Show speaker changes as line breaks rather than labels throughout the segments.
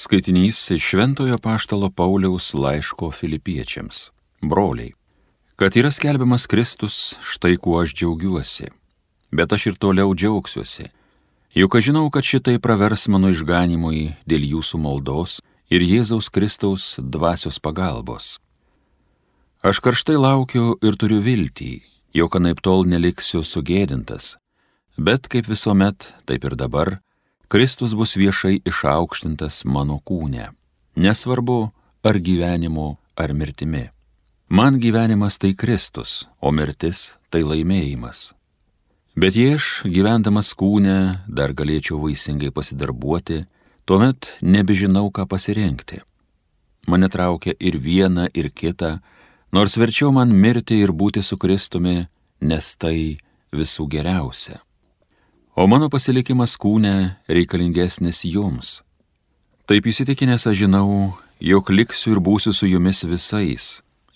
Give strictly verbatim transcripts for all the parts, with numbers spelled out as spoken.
Skaitinys iš Šventojo Apaštalo Pauliaus laiško Filipiečiams. Broliai, kad yra skelbiamas Kristus, štai kuo aš džiaugiuosi, bet aš ir toliau džiaugsiuosi, juk aš žinau, kad šitai pravers mano išganimui dėl jūsų maldos ir Jėzaus Kristaus dvasios pagalbos. Aš karštai laukiu ir turiu viltį, jog anaiptol neliksiu sugėdintas, bet kaip visuomet, taip ir dabar, Kristus bus viešai išaukštintas mano kūne, nesvarbu ar gyvenimu, ar mirtimi. Man gyvenimas tai Kristus, o mirtis tai laimėjimas. Bet jei aš, gyvendamas kūne, dar galėčiau vaisingai pasidarbuoti, tuomet nebežinau, ką pasirinkti. Mane traukia ir viena, ir kita, nors verčiau man mirti ir būti su Kristumi, nes tai visų geriausia. O mano pasilikimas kūne reikalingesnis jums. Taip įsitikinęs aš žinau, jog liksiu ir būsiu su jumis visais,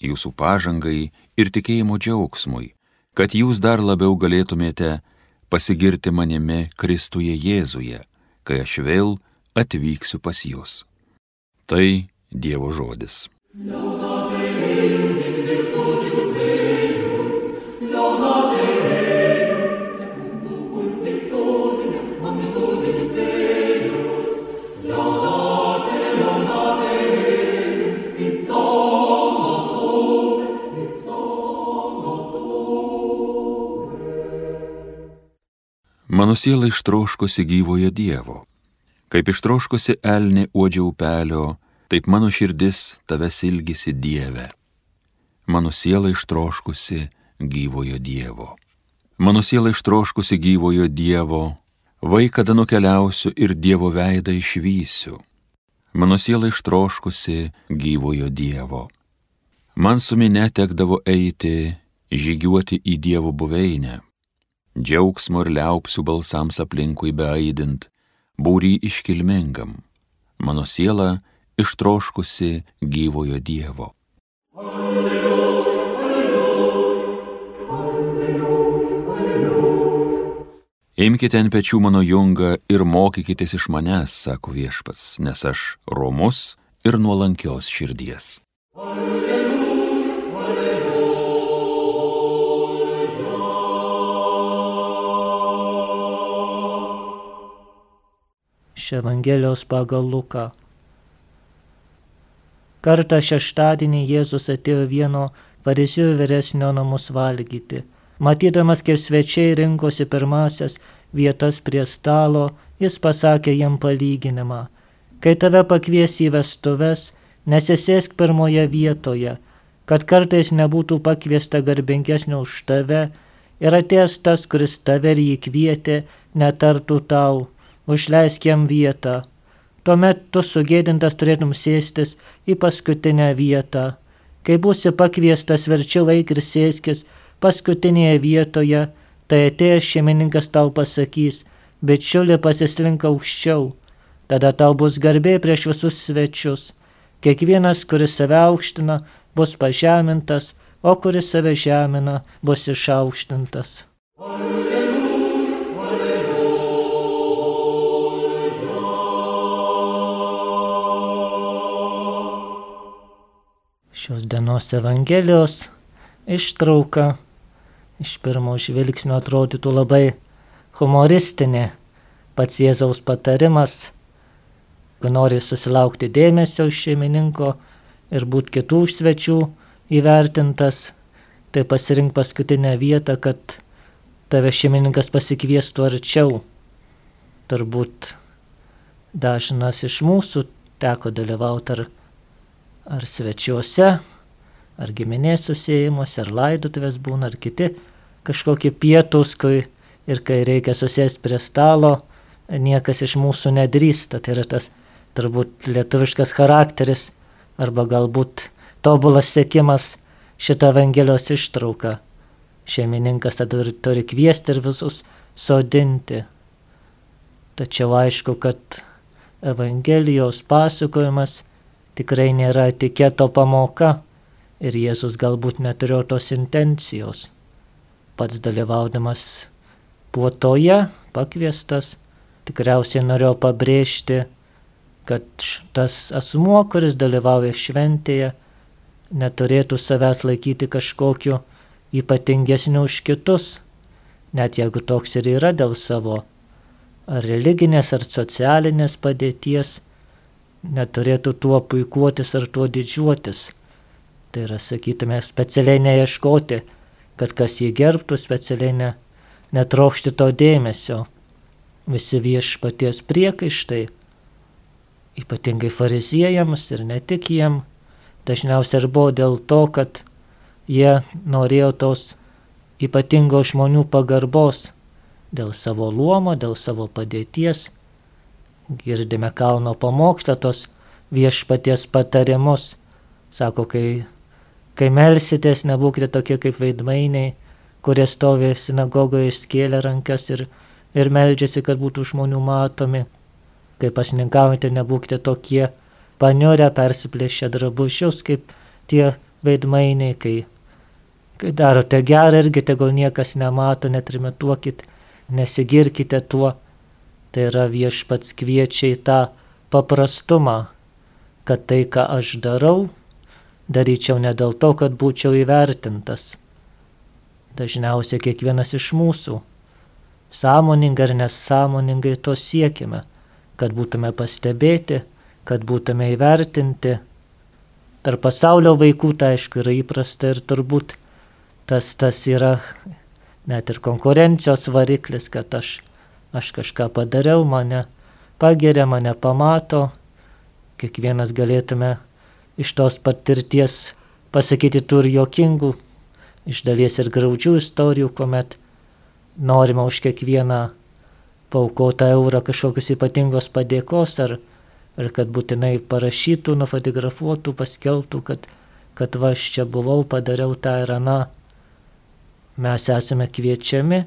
jūsų pažangai ir tikėjimo džiaugsmui, kad jūs dar labiau galėtumėte pasigirti manimi Kristuje Jėzuje, kai aš vėl atvyksiu pas jūs. Tai Dievo žodis. Mano siela ištroškusi gyvojo Dievo, kaip ištroškusi elnė uodžia upelio, taip mano širdis tavęs ilgisi Dieve. Mano siela ištroškusi gyvojo Dievo. Mano siela ištroškusi gyvojo Dievo, vai kada nukeliausiu ir Dievo veidą išvysiu. Mano siela ištroškusi gyvojo Dievo. Man su minia tekdavo eiti, žygiuoti į Dievo buveinę. Džiaugsmo ir liaupsių balsams aplinkui beaidint, būry iškilmingam, mano siela ištroškusi gyvojo Dievo. Alleluja, alleluja, alleluja, alleluja. Imkite ant pečių mano jungą ir mokykitės iš manęs, sako Viešpats, nes aš romus ir nuolankios širdies. Alleluja.
Evangelijos pagal Luką. Kartą šeštadienį Jėzus atėjo vieno fariziejų vyresnio namus valgyti. Matydamas, kaip svečiai rinkosi pirmasias vietas prie stalo, jis pasakė jam palyginimą. Kai tave pakvies į vestuves, nesisėsk pirmoje vietoje, kad kartais nebūtų pakviesta garbingesnio už tave ir atėjęs tas, kuris tave ir jį kvietė, netartų tau: užleisk jam vietą. Tuomet tu sugėdintas turėtum sėstis į paskutinę vietą. Kai būsi pakviestas, verčiau eik ir sėskis paskutinėje vietoje, tai atėjęs šeimininkas tau pasakys: bičiuli, pasislink aukščiau. Tada tau bus garbė prieš visus svečius. Kiekvienas, kuris save aukština, bus pažemintas, o kuris save žemina, bus išaukštintas. Šios dienos Evangelijos ištrauka iš pirmo žvilgsnio atrodytų labai humoristinė. Pats Jėzaus patarimas, kai nori susilaukti dėmesio iš šeimininko ir būti kitų svečių įvertintas, tai pasirink paskutinę vietą, kad tave šeimininkas pasikviestų arčiau. Turbūt dažnas iš mūsų teko dalyvauti ar ar svečiuose, ar giminės susėjimuose, ar laidotuvės būna, ar kiti kažkokie pietūs, kai ir kai reikia susėsti prie stalo, niekas iš mūsų nedrįsta. Tai yra tas turbūt lietuviškas charakteris, arba galbūt tobulas sekimas šitą Evangelijos ištrauką. Šeimininkas tada turi kviesti ir visus sodinti. Tačiau aišku, kad Evangelijos pasakojimas tikrai nėra etiketo pamoka ir Jėzus galbūt neturėjo tos intencijos. Pats dalyvaudamas puotoje, pakviestas, tikriausiai norėjau pabrėžti, kad tas asmuo, kuris dalyvauja šventėje, neturėtų savęs laikyti kažkokiu ypatingesniu už kitus, net jeigu toks ir yra dėl savo ar religinės, ar socialinės padėties, neturėtų tuo puikuotis ar tuo didžiuotis. Tai yra, sakytume, specialiai neieškoti, kad kas jį gerbtų, specialiai ne, netrokšti to dėmesio. Visi viešpaties priekaištai, ypatingai fariziejams ir ne tik jiem, dažniausiai ir buvo dėl to, kad jie norėjo tos ypatingos žmonių pagarbos dėl savo luomo, dėl savo padėties. Girdime kalno pamokslą tos viešpaties patarimus. Sako, kai, kai melsitės, nebūkite tokie kaip veidmainiai, kurie stovi sinagogoje išskėlę rankas ir, ir meldžiasi, kad būtų žmonių matomi. Kai pasninkaujate, nebūkite tokie paniurę, persiplėšę drabužius, kaip tie veidmainiai. Kai, kai darote gerą, irgi tegul niekas nemato, netrimituokit, nesigirkite tuo. Tai yra, viešpats kviečia į tą paprastumą, kad tai, ką aš darau, daryčiau ne dėl to, kad būčiau įvertintas. Dažniausiai kiekvienas iš mūsų sąmoningai ar nesąmoningai to siekime, kad būtume pastebėti, kad būtume įvertinti. Per pasaulio vaikų tai aišku yra įprasta ir turbūt tas, tas yra net ir konkurencijos variklis, kad aš Aš kažką padariau, mane pageria, mane pamato. Kiekvienas galėtume iš tos patirties pasakyti tų ir juokingų, iš dalies ir graudžių istorijų, kuomet norima už kiekvieną paaukotą eurą kažkokius ypatingos padėkos, ar, ar kad būtinai parašytų, nufotografuotų, paskelbtų, kad, kad va, aš čia buvau, padariau tą ir aną. Mes esame kviečiami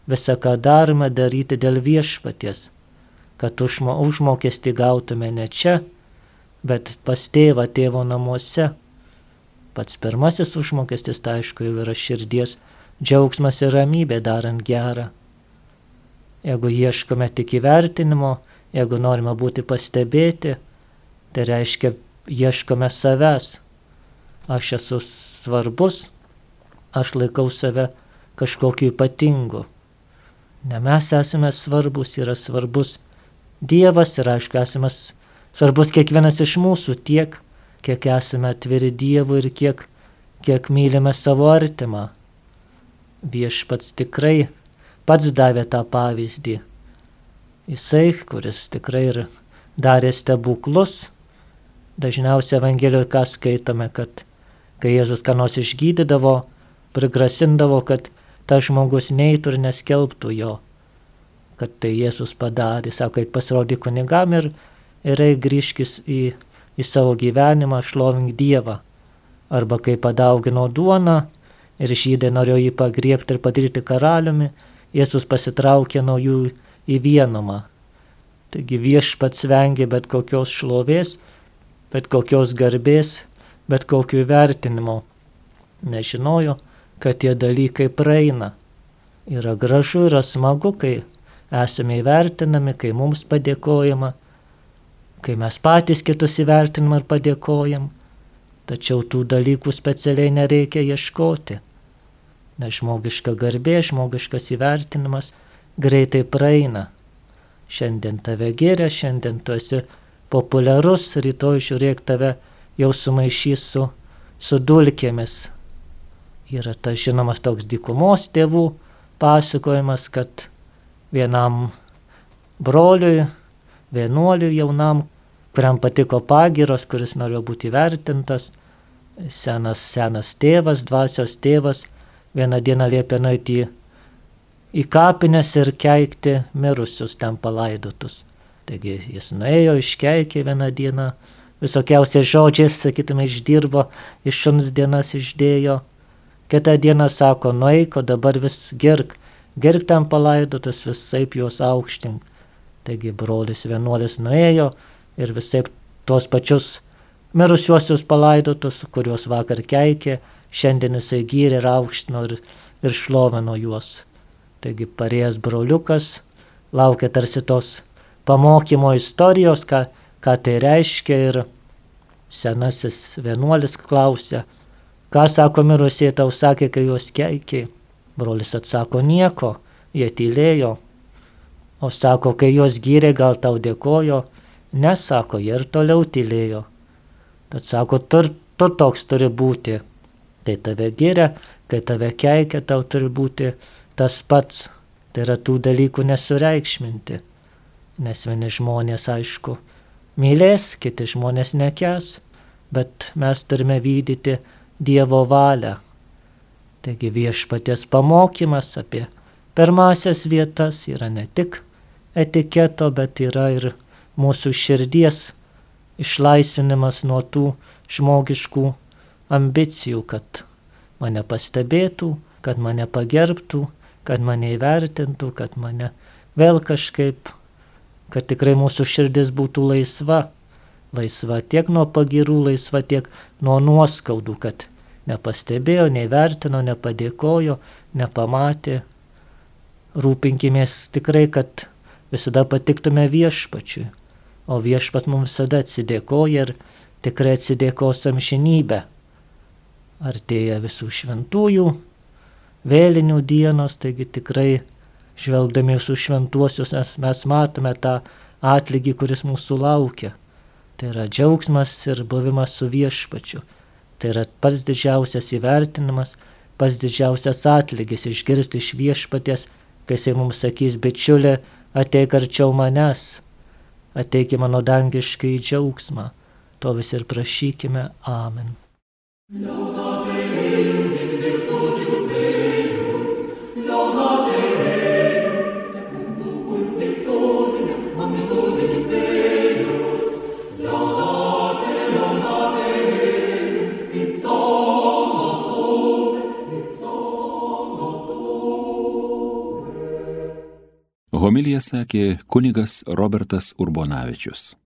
visą, ką darome, daryti dėl viešpaties, kad užmo, užmokestį gautume ne čia, bet pas tėvą, tėvo namuose. Pats pirmasis užmokestis, tai aišku, jau yra širdies džiaugsmas ir ramybė darant gerą. Jeigu ieškome tik įvertinimo, jeigu norime būti pastebėti, tai reiškia, ieškome savęs. Aš esu svarbus, aš laikau save kažkokiu ypatingu. Ne mes esame svarbus, yra svarbus Dievas ir aišku, esame svarbus kiekvienas iš mūsų tiek, kiek esame atviri Dievui ir kiek, kiek mylime savo artimą. Viešpats tikrai pats davė tą pavyzdį. Jisai, kuris tikrai ir darė stebuklus, dažniausiai Evangelijoje ką skaitome, kad kai Jėzus ką nors išgydydavo, prigrasindavo, kad tas žmogus neitų ir neskelbtų jo, kad tai Jėzus padarė. Sako, eik pasirodyk kunigam ir, ir eik grįžkis į, į savo gyvenimą, šlovink Dievą. Arba kai padaugino duoną ir žydai norėjo jį pagriebti ir padaryti karaliumi, Jėzus pasitraukė nuo jų į vienumą. Taigi viešpats vengė bet kokios šlovės, bet kokios garbės, bet kokių įvertinimo. Nežinojo, kad tie dalykai praeina. Yra gražu, yra smagu, kai esame įvertinami, kai mums padėkojama, kai mes patys kitus įvertinam ir padėkojam, tačiau tų dalykų specialiai nereikia ieškoti. Nes žmogiška garbė, žmogiškas įvertinimas greitai praeina. Šiandien tave giria, šiandien tu esi populiarus, rytoj žiūrėk tave jau sumaišys su, su dulkėmis. Yra tas žinomas toks dykumos tėvų pasakojimas, kad vienam broliui, vienuoliui jaunam, kuriam patiko pagyros, kuris norėjo būti įvertintas, senas, senas tėvas, dvasios tėvas, vieną dieną liepė nueiti į, į kapines ir keikti mirusius ten palaidotus. Taigi jis nuėjo, iškeikė vieną dieną, visokiausiais žodžiais, sakytume, išdirbo, iš šuns dienas išdėjo. Kitą dieną sako, nueik, o dabar vis girk, girk ten palaidotus, visaip juos aukštink. Taigi brolis vienuolis nuėjo ir visaip tuos pačius mirusiuosius palaidotus, kuriuos vakar keikė, šiandien jisai gyrė ir aukštino ir, ir šlovino juos. Taigi parėjęs broliukas laukia tarsi tos pamokymo istorijos, ką, ką tai reiškia, ir senasis vienuolis klausia, ką sako mirusieji tau sakė, kai juos keikė. Brolis atsako, nieko, jie tylėjo. O sako, kai juos gyrė, gal tau dėkojo, nesako, jie ir toliau tylėjo. Tad sako, tu, tu toks turi būti. Kai tave giria, kai tave keikia, tau turi būti tas pats. Tai yra tų dalykų nesureikšminti. Nes vieni žmonės, aišku, mylės, kiti žmonės nekęs, bet mes turime vykdyti Dievo valią. Taigi viešpaties pamokymas apie pirmasias vietas yra ne tik etiketo, bet yra ir mūsų širdies išlaisvinimas nuo tų žmogiškų ambicijų, kad mane pastebėtų, kad mane pagerbtų, kad mane įvertintų, kad mane vėl kažkaip, kad tikrai mūsų širdis būtų laisva, laisva tiek nuo pagirų, laisva tiek nuo nuoskaudų, kad nepastebėjo, neįvertino, nepadėkojo, nepamatė. Rūpinkimės tikrai, kad visada patiktume viešpačiui, o viešpats mums visada atsidėkoja ir tikrai atsidėkos amžinybę. Artėja visų šventųjų, vėlinių dienos, taigi tikrai žvelgdami visų šventuosius mes matome tą atlygį, kuris mūsų laukia. Tai yra džiaugsmas ir buvimas su viešpačiu. Tai yra pats didžiausias įvertinimas, pats didžiausias atlygis išgirsti iš viešpaties, kai jisai mums sakys, bičiulė, ateik arčiau manęs, ateik į mano dangišką į džiaugsmą. To vis ir prašykime. Amen.
Homiliją sakė kunigas Robertas Urbonavičius.